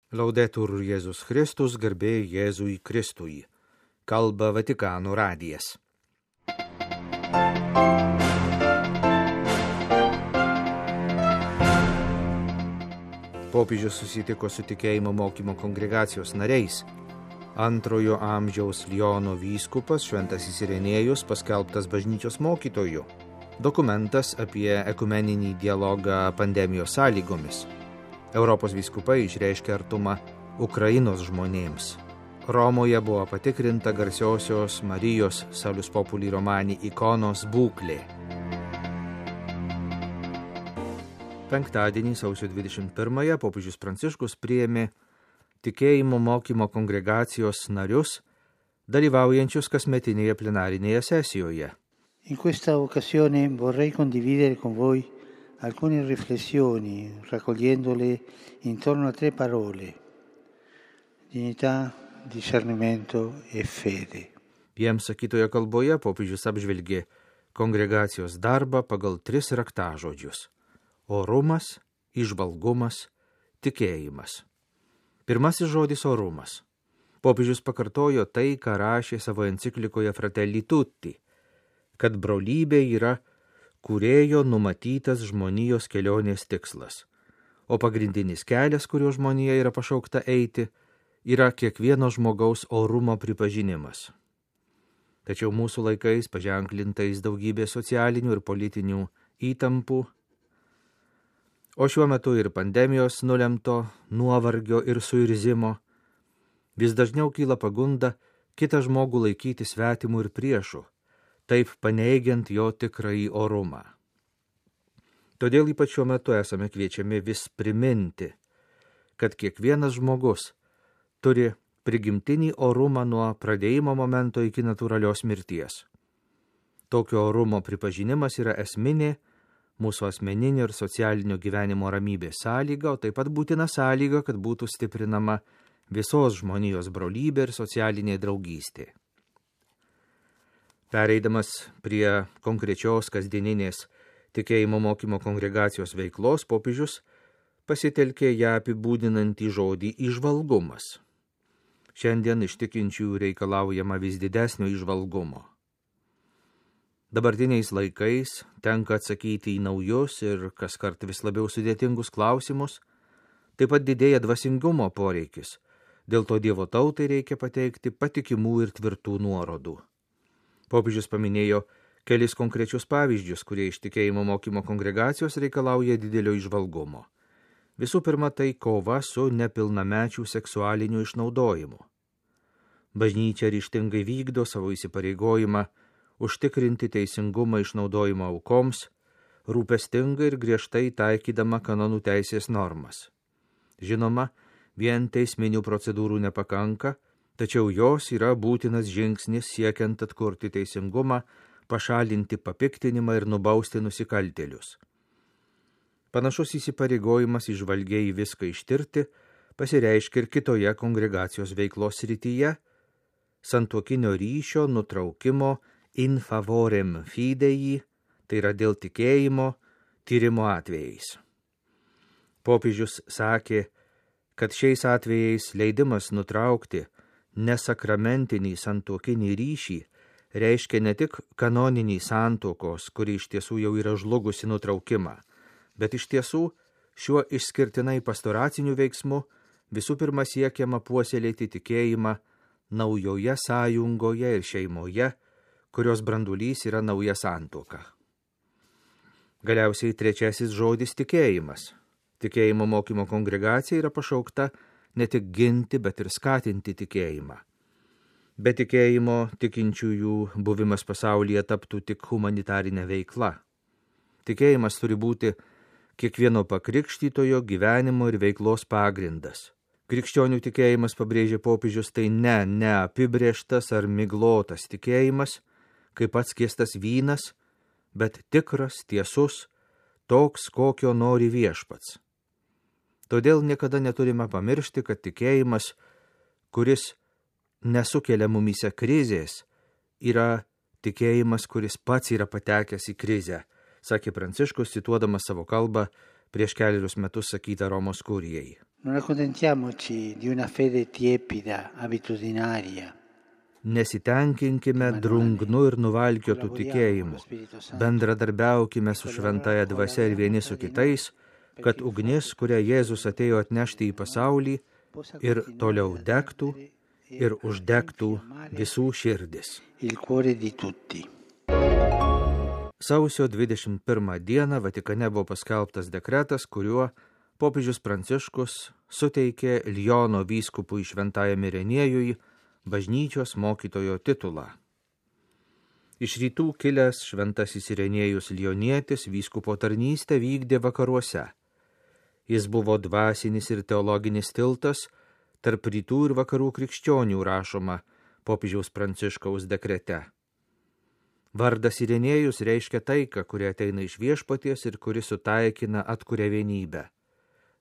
Laudetur Jėzus Kristus, garbė Jėzui Kristui. Kalba Vatikano radijas. Popiežius susitiko su tikėjimo mokymo kongregacijos nariais. Antrojo amžiaus Liono vyskupas Šventasis Irenėjus paskelbtas bažnyčios mokytoju. Dokumentas apie ekumeninį dialogą pandemijos sąlygomis. Europos vyskupai išreiškė artumą Ukrainos žmonėms. Romoje buvo patikrinta garsiosios Marijos Salus Populi Romani ikonos būklė. Penktadienį, sausio 21-ąją, popiežius Pranciškus priėmė tikėjimo mokymo kongregacijos narius, dalyvaujančius kasmetinėje plenarinėje sesijoje. In questa occasione vorrei condividere con voi alcune riflessioni, raccogliendole intorno a 3 parole: dignità, discernimento e fede. Jiems sakytoje kalboje popiežius apžvelgė kongregacijos darbą pagal 3 raktažodžius: orumas, įžvalgumas, tikėjimas. Pirmasis žodis – orumas. Popiežius pakartojo tai, ką rašė savo enciklikoje Fratelli Tutti, kad brolybė yra kūrėjo numatytas žmonijos kelionės tikslas, o pagrindinis kelias, kuriuo žmonija yra pašaukta eiti, yra kiekvieno žmogaus orumo pripažinimas. Tačiau mūsų laikais, paženklintais daugybė socialinių ir politinių įtampų, o šiuo metu ir pandemijos nulemto nuovargio ir suirzimo, vis dažniau kyla pagunda kitą žmogų laikyti svetimu ir priešu, taip paneigiant jo tikrąjį orumą. Todėl ypač šiuo metu esame kviečiami vis priminti, kad kiekvienas žmogus turi prigimtinį orumą nuo pradėjimo momento iki natūralios mirties. Tokio orumo pripažinimas yra esminė mūsų asmeninio ir socialinio gyvenimo ramybės sąlyga, o taip pat būtina sąlyga, kad būtų stiprinama visos žmonijos brolybė ir socialinė draugystė. Pereidamas prie konkrečios kasdieninės tikėjimo mokymo kongregacijos veiklos, popiežius pasitelkė ją apibūdinantį žodį įžvalgumas. Šiandien iš tikinčiųjų reikalaujama vis didesnio įžvalgumo. Dabartiniais laikais tenka atsakyti į naujus ir kaskart vis labiau sudėtingus klausimus, taip pat didėja dvasingumo poreikis, dėl to Dievo tautai reikia pateikti patikimų ir tvirtų nuorodų. Popiežius paminėjo kelis konkrečius pavyzdžius, kurie iš tikėjimo mokymo kongregacijos reikalauja didelio įžvalgumo. Visų pirma, tai kova su nepilnamečių seksualiniu išnaudojimu. Bažnyčia ryžtingai vykdo savo įsipareigojimą užtikrinti teisingumą išnaudojimo aukoms, rūpestingai ir griežtai taikydama kanonų teisės normas. Žinoma, vien teisminių procedūrų nepakanka, tačiau jos yra būtinas žingsnis siekiant atkurti teisingumą, pašalinti papiktinimą ir nubausti nusikaltėlius. Panašus įsipareigojimas įžvalgiai viską ištirti pasireiškia ir kitoje kongregacijos veiklos srityje – santuokinio ryšio nutraukimo in favorem fidei, tai yra dėl tikėjimo, tyrimo atvejais. Popiežius sakė, kad šiais atvejais leidimas nutraukti nesakramentinį santuokinį ryšį reiškia ne tik kanoninį santuokos, kuri iš tiesų jau yra žlugusi nutraukimą, bet iš tiesų šiuo išskirtinai pastoraciniu veiksmu visų pirma siekiama puoselėti tikėjimą naujoje sąjungoje ir šeimoje, kurios brandulys yra nauja santuoka. Galiausiai trečiasis žodis – tikėjimas. Tikėjimo mokymo kongregacija yra pašaukta ne tik ginti, bet ir skatinti tikėjimą. Be tikėjimo tikinčiųjų buvimas pasaulyje taptų tik humanitarinė veikla. Tikėjimas turi būti kiekvieno pakrikštytojo gyvenimo ir veiklos pagrindas. Krikščionių tikėjimas, pabrėžė popiežius, tai ne apibrėžtas ar miglotas tikėjimas, kaip atskiestas vynas, bet tikras, tiesus, toks, kokio nori Viešpats. Todėl niekada neturime pamiršti, kad tikėjimas, kuris nesukelia mumyse krizės, yra tikėjimas, kuris pats yra patekęs į krizę, sakė Pranciškus, cituodamas savo kalbą prieš 4 metus sakytą Romos kurijai. Non accontentiamoci di una fede tiepida, abitudinaria. Nesitenkinkime drungnu ir nuvalkiotų tikėjimu, bendradarbiaukime su šventaja dvasia ir vieni su kitais, kad ugnis, kurią Jėzus atėjo atnešti į pasaulį, ir toliau degtų ir uždegtų visų širdis. Sausio 21 dieną Vatikane buvo paskelbtas dekretas, kuriuo popiežius Pranciškus suteikė Liono vyskupui Šventajam Irenėjui bažnyčios mokytojo titulą. Iš rytų kilęs šventasis Irenėjus Lionietis vyskupo tarnystę vykdė vakaruose. Jis buvo dvasinis ir teologinis tiltas tarp rytų ir vakarų krikščionių, rašoma popiežiaus Pranciškaus dekrete. Vardas Irenėjus reiškia taiką, kuri ateina iš viešpaties ir kuri sutaikina, atkuria vienybę.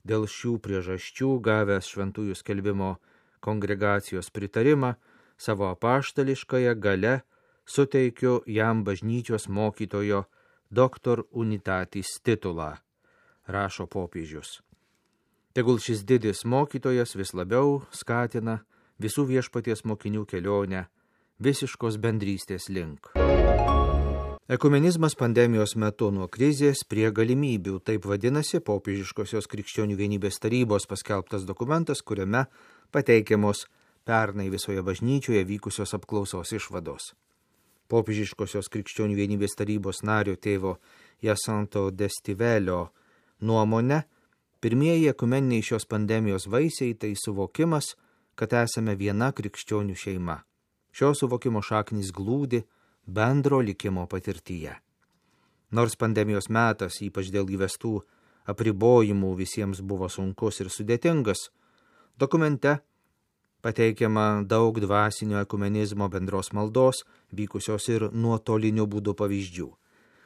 Dėl šių priežasčių, gavęs šventųjų skelbimo kongregacijos pritarimą, savo apaštališkąją gale suteikiu jam bažnyčios mokytojo Doctor Unitatis titulą, rašo popiežius. Tegul šis didis mokytojas vis labiau skatina visų viešpaties mokinių kelionę visiškos bendrystės link. Ekumenizmas pandemijos metu nuo krizės prie galimybių, taip vadinasi popiežiškosios krikščionių vienybės tarybos paskelbtas dokumentas, kuriame pateikiamos pernai visoje bažnyčioje vykusios apklausos išvados. Popiežiškosios krikščionių vienybės tarybos nario tėvo Jacinto Destivelio nuomone, pirmieji ekumeniniai šios pandemijos vaisiai tai suvokimas, kad esame viena krikščionių šeima. Šio suvokimo šaknys glūdi bendro likimo patirtyje. Nors pandemijos metas, ypač dėl įvestų apribojimų, visiems buvo sunkus ir sudėtingas, dokumente pateikiama daug dvasinio ekumenizmo bendros maldos, vykusios ir nuotoliniu būdu pavyzdžių.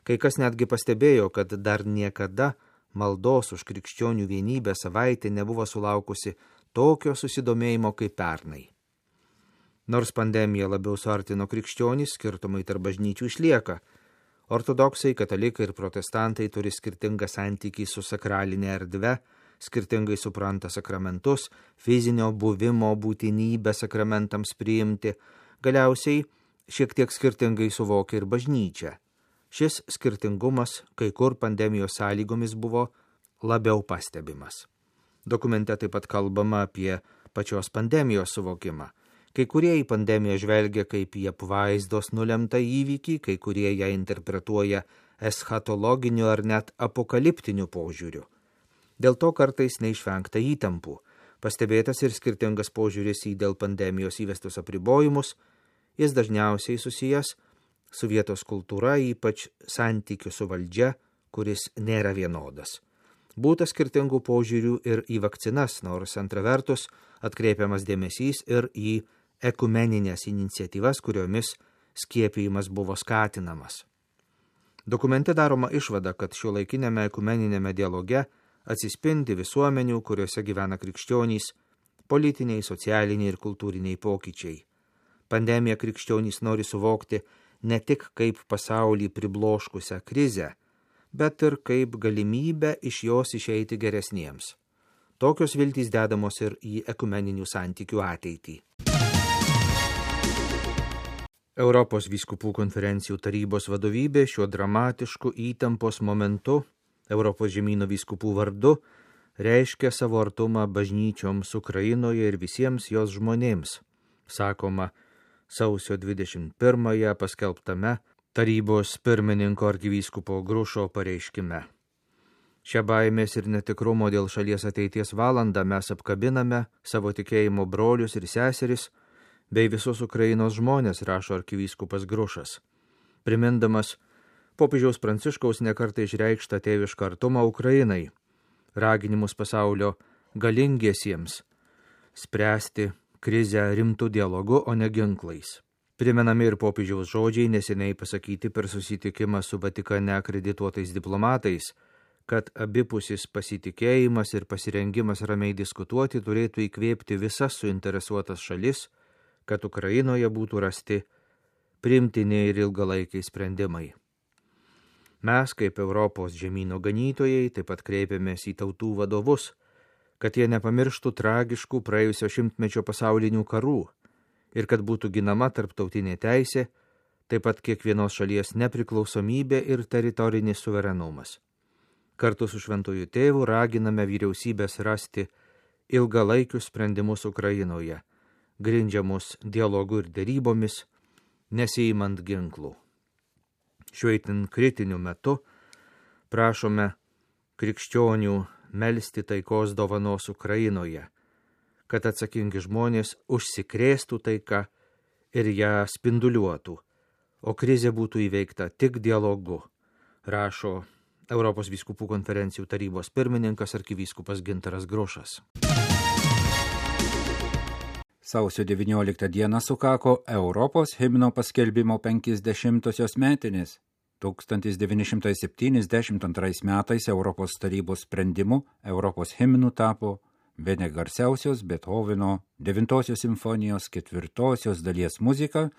Kai kas netgi pastebėjo, kad dar niekada maldos už krikščionių vienybę savaitė nebuvo sulaukusi tokio susidomėjimo kaip pernai. Nors pandemija labiau suartino krikščionys, skirtumai tarp bažnyčių išlieka. Ortodoksai, katalikai ir protestantai turi skirtingą santykį su sakralinė erdve, skirtingai supranta sakramentus, fizinio buvimo būtinybę sakramentams priimti, galiausiai šiek tiek skirtingai suvokia ir bažnyčia. Šis skirtingumas kai kur pandemijos sąlygomis buvo labiau pastebimas. Dokumente taip pat kalbama apie pačios pandemijos suvokimą. Kai kurie į pandemiją žvelgia kaip į apvaizdos nulemtą įvykį, kai kurie ją interpretuoja eschatologiniu ar net apokaliptiniu požiūriu. Dėl to kartais neišvengta įtampų. Pastebėtas ir skirtingas požiūris į dėl pandemijos įvestus apribojimus, jis dažniausiai susijęs su vietos kultūra, ypač santykiu su valdžia, kuris nėra vienodas. Būta skirtingų požiūrių ir į vakcinas, nors antra vertus atkreipiamas dėmesys ir į ekumeninės iniciatyvas, kuriomis skiepijimas buvo skatinamas. Dokumente daroma išvada, kad šiuolaikinėme ekumeninėme dialoge atsispindi visuomenių, kuriuose gyvena krikščionys, politiniai, socialiniai ir kultūriniai pokyčiai. Pandemija krikščionys nori suvokti ne tik kaip pasaulį pribloškusią krizę, bet ir kaip galimybę iš jos išeiti geresniems. Tokios viltys dedamos ir į ekumeninių santykių ateitį. Europos vyskupų konferencijų tarybos vadovybė šiuo dramatišku įtampos momentu Europos žemyno vyskupų vardu reiškia savo artumą bažnyčioms Ukrainoje ir visiems jos žmonėms, sakoma sausio 21-ąją paskelbtame tarybos pirmininko arkivyskupo Grušo pareiškime. Šią baimės ir netikrumo dėl šalies ateities valandą mes apkabiname savo tikėjimo brolius ir seseris bei visus Ukrainos žmonės, rašo arkivyskupas Grušas, primindamas popiežiaus Pranciškaus nekartą išreikštą tėvišką artumą Ukrainai, raginimus pasaulio galingiesiems spręsti krizę rimtų dialogu, o ne ginklais. Primenami ir popiežiaus žodžiai neseniai pasakyti per susitikimą su Vatikane akredituotais diplomatais, kad abipusis pasitikėjimas ir pasirengimas ramiai diskutuoti turėtų įkvėpti visas suinteresuotas šalis, kad Ukrainoje būtų rasti priimtini ir ilgalaikiai sprendimai. Mes, kaip Europos žemyno ganytojai, taip pat kreipiamės į tautų vadovus, kad jie nepamirštų tragiškų praėjusio šimtmečio pasaulinių karų ir kad būtų ginama tarptautinė teisė, taip pat kiekvienos šalies nepriklausomybė ir teritorinis suverenumas. Kartu su Šventuoju Tėvu raginame vyriausybės rasti ilgalaikius sprendimus Ukrainoje, grindžiamus dialogu ir derybomis, nesiimant ginklų. Šiuo itin kritiniu metu prašome krikščionių melsti taikos dovanos Ukrainoje, kad atsakingi žmonės užsikrėstų taika ir ją spinduliuotų, o krizė būtų įveikta tik dialogu, rašo Europos vyskupų konferencijų tarybos pirmininkas arkivyskupas Gintaras Grušas. Sausio 19 dieną sukako Europos himno paskelbimo 50-osios metinės. 1972 metais Europos tarybos sprendimu Europos himnu tapo bene garsiausios Beethoveno 9 simfonijos 4 dalies muzika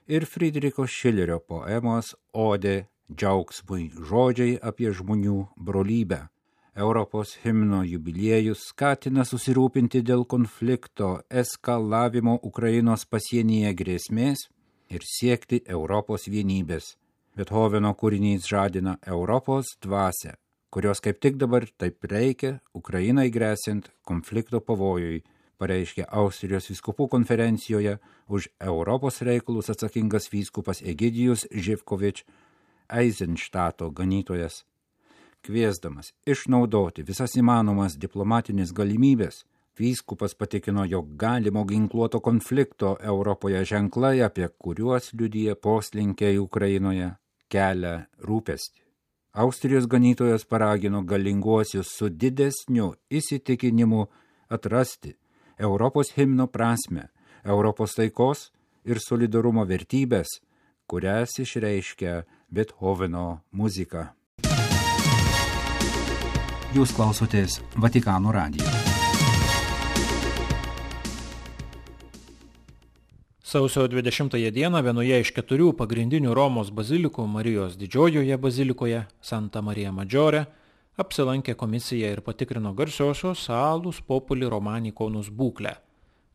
ir Friedricho Šilerio poemos Odė džiaugsmui žodžiai apie žmonių brolybę. Europos himno jubiliejus skatina susirūpinti dėl konflikto eskalavimo Ukrainos pasienyje grėsmės ir siekti Europos vienybės. Beethoveno kūrinys žadina Europos dvasią, kurios kaip tik dabar taip reikia Ukrainai gresiant konflikto pavojui, pareiškė Austrijos vyskupų konferencijoje už Europos reikalus atsakingas vyskupas Egidijus Živkovič, Eizenštato ganytojas. Kviesdamas išnaudoti visas įmanomas diplomatinės galimybės, vyskupas patikino, jog galimo ginkluoto konflikto Europoje ženklai, apie kuriuos liudija poslinkiai Ukrainoje, kelia rūpestį. Austrijos ganytojas paragino galinguosius su didesniu įsitikinimu atrasti Europos himno prasmę, Europos taikos ir solidarumo vertybės, kurias išreiškia Beethoveno muzika. Jūs klausotės Vatikano radijo. Sausio 20 dieną vienoje iš 4 pagrindinių Romos bazilikų Marijos Didžiojoje bazilikoje Santa Marija Maggiore apsilankė komisija ir patikrino garsiosios Salus Populi Romani ikonos būklę.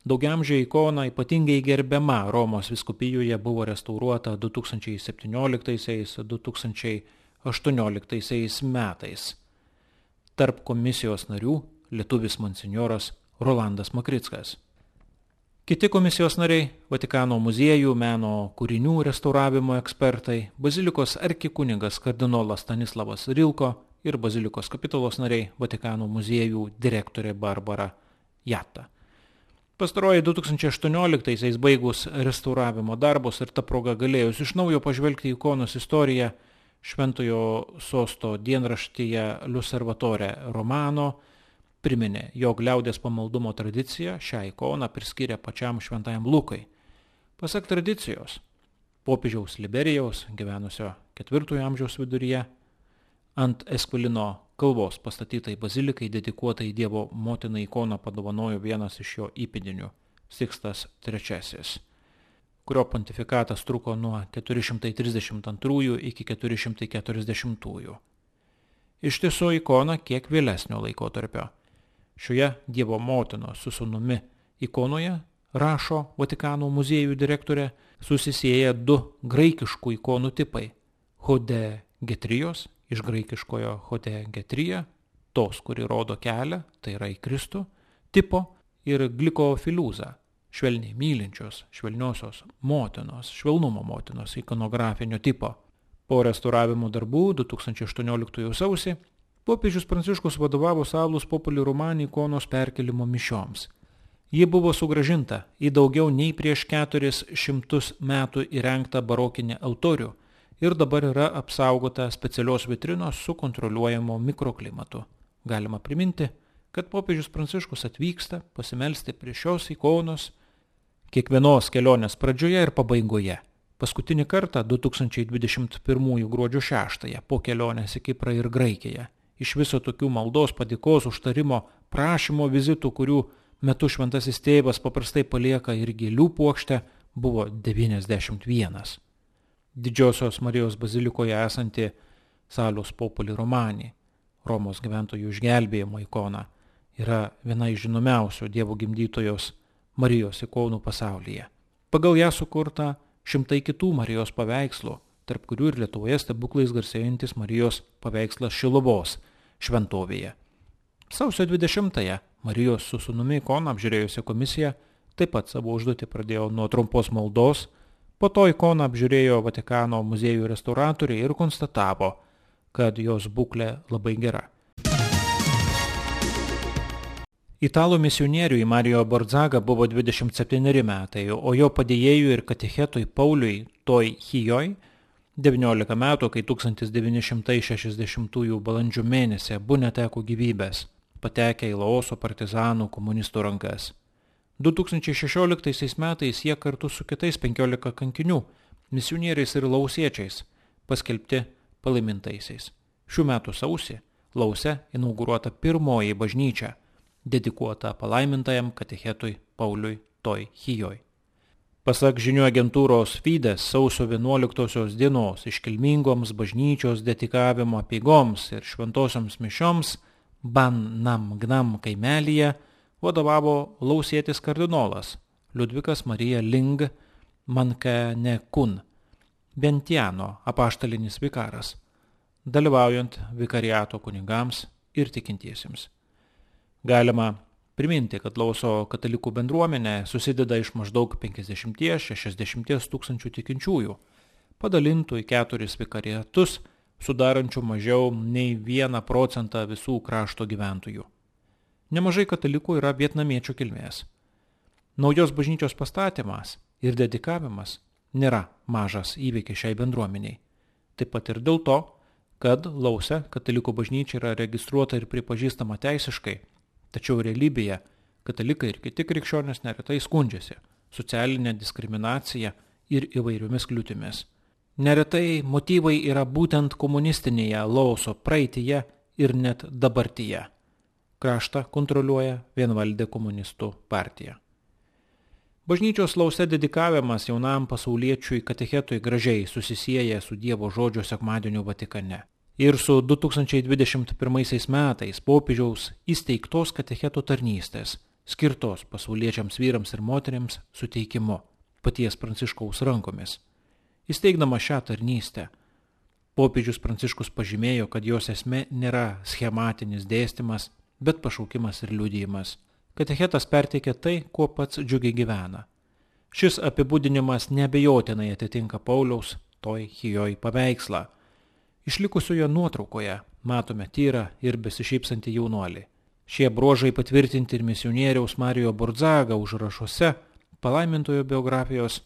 Daugiamžė ikona ypatingai gerbiama Romos vyskupijoje buvo restauruota 2017-2018 metais. Tarp komisijos narių lietuvis monsinjoras Rolandas Makrickas. Kiti komisijos nariai – Vatikano muziejų meno kūrinių restauravimo ekspertai, bazilikos arkikunigas kardinolas Stanislavas Rilko ir bazilikos kapitulos nariai – Vatikano muziejų direktorė Barbara Jatta. Pastaroji 2018 baigus restauravimo darbus ir ta proga galėjus iš naujo pažvelgti ikonos istoriją, Šventojo sosto dienraštyje L'Osservatore Romano priminė, jog liaudės pamaldumo tradicija šią ikoną priskyrė pačiam šventajam Lukai. Pasak tradicijos, popiežiaus Liberijaus, gyvenusio 4 amžiaus viduryje, ant Esquilino kalvos pastatytai bazilikai dedikuotai Dievo motinai ikoną padovanojo vienas iš jo įpėdinių, Sikstas III, kurio pontifikatas truko nuo 432 iki 440. Iš tiesų ikona kiek vėlesnio laikotarpio. Šioje Dievo motinos su sūnumi ikonoje, rašo Vatikano muziejų direktorė, susisieja 2 graikiškų ikonų tipai – Hodegetrijos, iš graikiškojo Hodegetrija, tos, kuri rodo kelią, tai yra į Kristų, tipo ir Glikofiliuza, švelniai mylinčios, švelniosios motinos, švelnumo motinos ikonografinio tipo. Po restauravimo darbų 2018 sausį popiežius Pranciškus vadovavo Salus Populi Romani ikonos perkelimo mišioms. Ji buvo sugrąžinta į daugiau nei prieš 400 metų įrengtą barokinį altorių ir dabar yra apsaugota specialios vitrinos su kontroliuojamo mikroklimatu. Galima priminti, kad popiežius Pranciškus atvyksta pasimelsti prie šios ikonos kiekvienos kelionės pradžioje ir pabaigoje. Paskutinį kartą 2021 gruodžio 6 po kelionės į Kiprą ir Graikiją. Iš viso tokių maldos, padėkos, užtarimo, prašymo vizitų, kurių metu šventasis tėvas paprastai palieka ir gėlių puokštę, buvo 91. Didžiosios Marijos bazilikoje esanti Salus Populi Romani, Romos gyventojų išgelbėjimo ikona, yra viena iš žinomiausių Dievo gimdytojos Marijos ikonų pasaulyje. Pagal ją sukurta šimtai kitų Marijos paveikslų, tarp kurių ir Lietuvoje stebuklais garsėjantis Marijos paveikslas Šiluvos šventovėje. Sausio 20-ąją Marijos su sūnumi ikoną apžiūrėjusi komisija taip pat savo užduotį pradėjo nuo trumpos maldos, po to ikoną apžiūrėjo Vatikano muziejų restauratoriai ir konstatavo, kad jos būklė labai gera. Italų misionieriui Mario Borzaga buvo 27 metai, o jo padėjėjui ir katechetui Pauliui Toj Hijoj 19 metų, kai 1960 balandžio mėnesį abu neteko gyvybės, patekę į Laoso partizanų komunistų rankas. 2016 metais jie kartu su kitais 15 kankinių, misionieriais ir lausiečiais, paskelbti palaimintaisiais. Šių metų sausį Lause inauguruota pirmoji bažnyčia, dedikuota palaimintajam katechetui Pauliui Toj Hijoj. Pasak žinių agentūros Fides, sausio 11 dienos iškilmingoms bažnyčios dedikavimo apeigoms ir šventosioms mišioms Ban Nam Gnam kaimelyje vadovavo lausietis kardinolas Liudvikas Marija Ling Mankanekun, Bentiano apaštalinis vikaras, dalyvaujant vikariato kunigams ir tikintiesiems. Galima priminti, kad Lauso katalikų bendruomenė susideda iš maždaug 50–60 tūkstančių tikinčiųjų, padalintų į 4 vikariatus, sudarančių mažiau nei 1% visų krašto gyventojų. Nemažai katalikų yra vietnamiečių kilmės. Naujos bažnyčios pastatymas ir dedikavimas nėra mažas įvykis šiai bendruomeniai. Taip pat ir dėl to, kad Lause katalikų bažnyčia yra registruota ir pripažįstama teisiškai, tačiau realybėje katalikai ir kiti krikščionys neretai skundžiasi socialinė diskriminacija ir įvairiomis kliūtimis. Neretai motyvai yra būtent komunistinėje Lauso praeityje ir net dabartyje. Kraštą kontroliuoja vienvaldė komunistų partija. Bažnyčios Lause dedikavimas jaunam pasauliečiui katechetui gražiai susisieja su Dievo žodžio sekmadieniu Vatikane ir su 2021 metais popiežiaus įsteigtos katecheto tarnystės, skirtos pasauliečiams vyrams ir moteriams suteikimu paties Pranciškaus rankomis. Įsteigdama šią tarnystę, popiežius Pranciškus pažymėjo, kad jos esmė nėra schematinis dėstymas, bet pašaukimas ir liudijimas. Katechetas perteikia tai, kuo pats džiugiai gyvena. Šis apibūdinimas neabejotinai atitinka Pauliaus Toj Hijoj paveikslą. Išlikusioje nuotraukoje matome tyrą ir besišypsantį jaunuolį. Šie bruožai patvirtinti ir misionieriaus Mario Borzaga užrašuose palaimintojo biografijos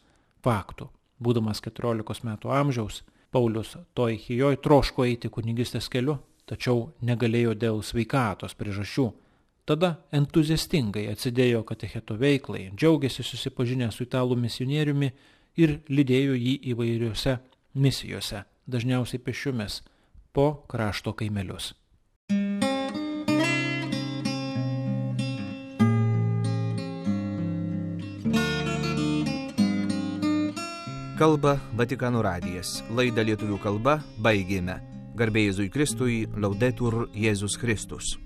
faktų. Būdamas 14 metų amžiaus, Paulius Toj Hijoj troško eiti kunigystės keliu, tačiau negalėjo dėl sveikatos priežasčių. Tada entuziastingai atsidėjo katecheto veiklai, džiaugiasi susipažinę su italų misionieriumi ir lydėjo jį įvairiose misijose, dažniausiai pėsčiomis, po krašto kaimelius. Kalba Vatikano radijas. Laidą lietuvių kalba baigėme. Garbė Jėzui Kristui, Laudetur Jėzus Kristus.